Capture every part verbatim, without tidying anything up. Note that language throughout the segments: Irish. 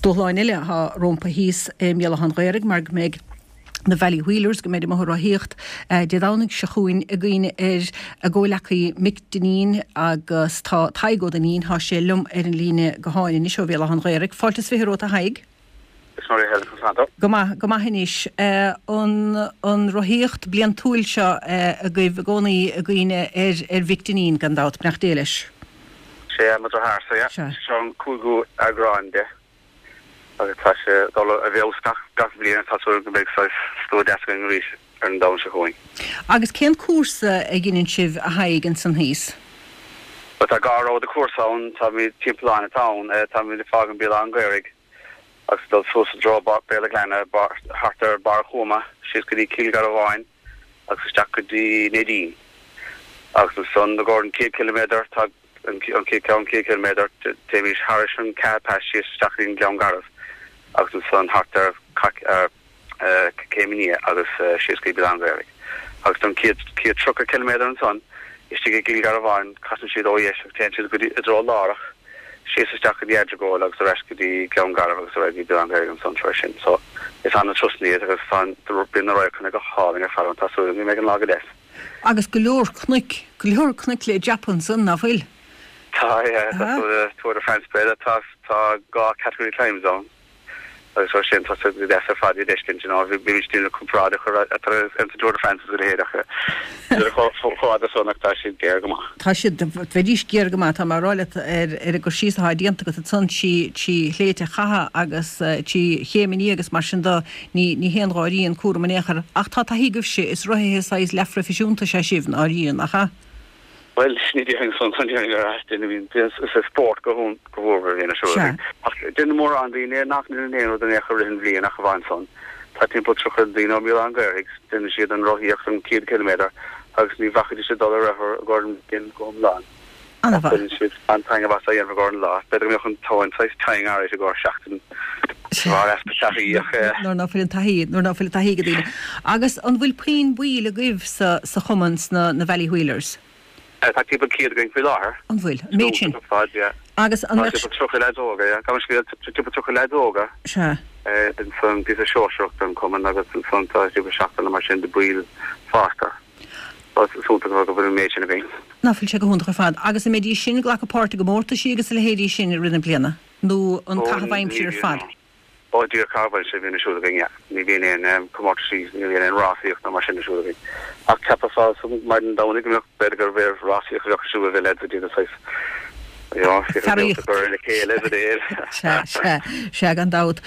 Dúshláin eile atá rompu thíos i mBéal Átha an Ghaorthaidh mar go mbeidh na Valley Wheelers, go mbeidh amuigh ag rothaíocht Dé Domhnaigh seo chugainn i gcuimhne ar a gcomhleacaí Mick Dineen agus tá Tadhg Ó Duinnín, tá sé liom ar an líne gutháin anois ó Bhéal Átha an Ghaorthaidh. Fáilte is fiche romhat a Thaidhg. Is mar a Helen, conas tánn tú? Go maith, go maith anois. An an rothaíocht bliantúil seo agaibh i gcónaí i gcuimhne ar ar Mhick Dineen gan dabht, beannacht Dé leis. Sé mo dheartháir-sa, yeah. Sea. Seo an cúigiú eagrán de agus tá sé ag dul i bhfeabhas gach gach bliain agus tá súil go mbeidh saghas slua deas againn arís ar an Domhnach seo chugainn. Agus cén cúrsa a dheineann sibh a Thaidhg ansan thíos? Bhuel tá dhá rogha de chúrsa ann, táimid timpeall an atá ann, táimid ag fágaint Béal Átha an Ghaorthaidh agus ag dul suas i dtreo Béal a' Ghleanna, thart ar Barr a' Chúma, síos go dtí Cill Gharbháin agus isteach go dtí Neidín. Agus ansan i gcomhair an chéad ciliméadar, tá an chéad ceann céad ciliméadar, téimís thairis an Caha Pass síos isteach go dtí an Gleann Garbh agus ansan thart ar Céim an Fhia agus síos go dtí Béal Átha an Ghaorthaidh. Agus don chéad chéad tríocha ciliméadar ansan istigh i gCill Gharbháin casann siad ó dheis agus téann siad go dtí i dtreo Lárach síos isteach go dtí Eardragóil agus ar ais go dtí Gleann Garbh agus ar aghaidh go dtí Béal Átha an Ghaorthaidh ansan tar éis sin. So is ana-turasanna iad agus tá an bíonn na radharcanna go hálainn ar fad ann. Tá súil agam go mbeidh an lá go deas. Agus go leor cnoic, go leor cnoic le dreapadh ansan, ná fuil? Tá, yeah, tá Tour de France b'fhéidir, tá tá dhá category climbs ann agus mar sin tá sé go deas ar fad iad a fheiscint, you know, bhí bímid ag déanamh comparáid a chur eatarthu an Tour de France agus a leithéid ach níl chomh chomh fada san ach tá siad géar go maith. Tá siad, bheidís géar go maith, tá mé ag rá leat ar ar an gcur síos atá déanta agat ansan trí trí shléibhte chatha agus trí chéimeanna agus mar sin de, ní ní haon gháirí an cúram in aon chor. Ach tá taithí agaibhse, is rothaithe saghas leathphroifisiúnta is ea sibh, nár nach ea? Bhuel, ní déarfainn san, ní déarfainn gur ait duine a bhíonn, is é spórt go mhór a bhíonn ar siúl againn. Ach déanann mórán daoine nach ndéanann aon rud in aon chor i rith an bhliain ach amháin san. Tá timpeall tríocha daoine ó Bhéal Átha an Ghaorthaidh, déanann siad an rothaíocht an céad ciliméadar agus ní bhacfaidís ag dul ar rothar i gcomhair an bhliain go hiomlán. Ach baineann siad an-taitneamh as a dhéanamh i gcomhair an lá. B'fhéidir go mbeadh an tóin saghas tinn arís i gcomhair seachtain de bharr easpa taithí ach. Nuair ná fuil an taithí, nuair ná fuil an taithí ag daoine. Agus an bhfuil puinn baill agaibh sa sa chumann sna na Valley Wheelers? Tá timpeall céad againn faoi láthair. An bhfuil? An méid sin? Ar fad, yeah. Agus an Tá mbeadh. timpeall tríocha leaids óga, yeah. Gabh mo leithscéal, timpeall tríocha leaids óga. Sea. Ansan píosa sóisearach don chumann agus ansan tá timpeall seacht nó mar sin de baill fásta. So is iontach go bhfuil an méid sin againn. Ná fuil sé go hiontach ar fad. Agus an mbeidís sin ag glacadh páirt i gcomórtaisí agus a leithéidí sin i rith na bliana? Nó an Ó, caitheamh ní aimsire ar bhíonn, fad? no. Ó, díreach caitheamh aimsire a bhíonn ar siúl againn, yeah. Ní bhíonn aon comórtaisí, ní bhíonn aon rásaíocht ná mar sin ar siúl againn. Ach cheapfá maidin Domhnaigh go mbeadh, b'fhéidir gurbh é rásaíocht a bheadh ar siúl, bheadh leaids ag déanamh saghas, you know, féachaint Fearaíocht. ag cur ar a chéile is a leithéid. Sea, sea, sea, gan dabht.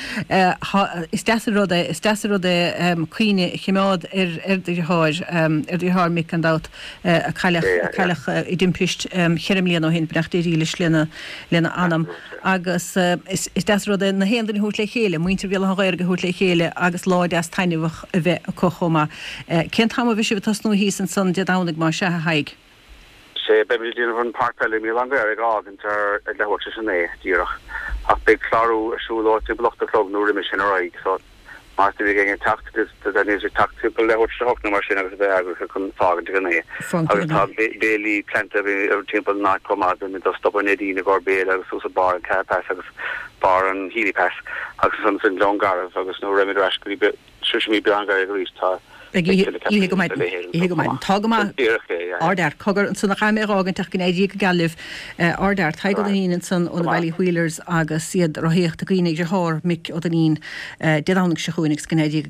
Is deas an rud é, is deas an rud é cuimhne a choimeád ar ar do dheartháir, ar do dheartháir Mick gan dabht, a cailleadh, Yeah, a yeah. cailleadh i dtimpist cheithre mbliana ó shin, beannacht Dé dhílis lena, lena anam. Agus is deas an rud é na haon duine a thabhairt le chéile, muintir Bhéal Átha an Ghaorthaidh a thabhairt le chéile agus lá deas taitneamhach a bheith acu chomh maith. Cén t-am a bheidh sibh ag tosnú thíos ansan Dé Domhnaigh más ea, a Thaidhg? Sea, beimid ag déanamh an Páirc Peile i mBéal Átha an Ghaorthaidh a fhágaint ar ag leathuair tar éis a naoi díreach ach beidh clárú ar siúl ó timpeall ocht a chlog nó roimhe sin ar aghaidh so Más duine ag éinne teacht, níl sé teacht timpeall leathuair tar éis a hocht nó mar sin agus a bheith eagraithe chun fágaint ag a naoi. Fágaint ag Agus a tá naoi. béilí pleanta timpeall an áit chomh maith, beimid ag stopadh i Neidín i gcomhair béile agus suas ag barr an Caha Pass agus barr an Healy Pass agus ansan san Gleann Garbh agus nuair a raghaimid ar ais go dtí sroisfimid Béal Átha an Ghaorthaidh arís tá Beidh beidh oíche, tuilleadh oíche go ceapaim a maidin, leithéid oíche ansan go chomh maidin. maith. Tá go maith. Díreach é, yeah. Ardfhear. Cogar, ansan a chaithfidh mé a dh'fhágaint ach go n-éirí go geal libh. Ardfhear. Tadhg Ó Duinnín ansan ó Go na maith. Valley Wheelers agus iad ag rothaíocht i gcuimhne ar dheartháir Mick Ó Duinnín Dé Domhnaigh seo chugainn agus go n-éirí go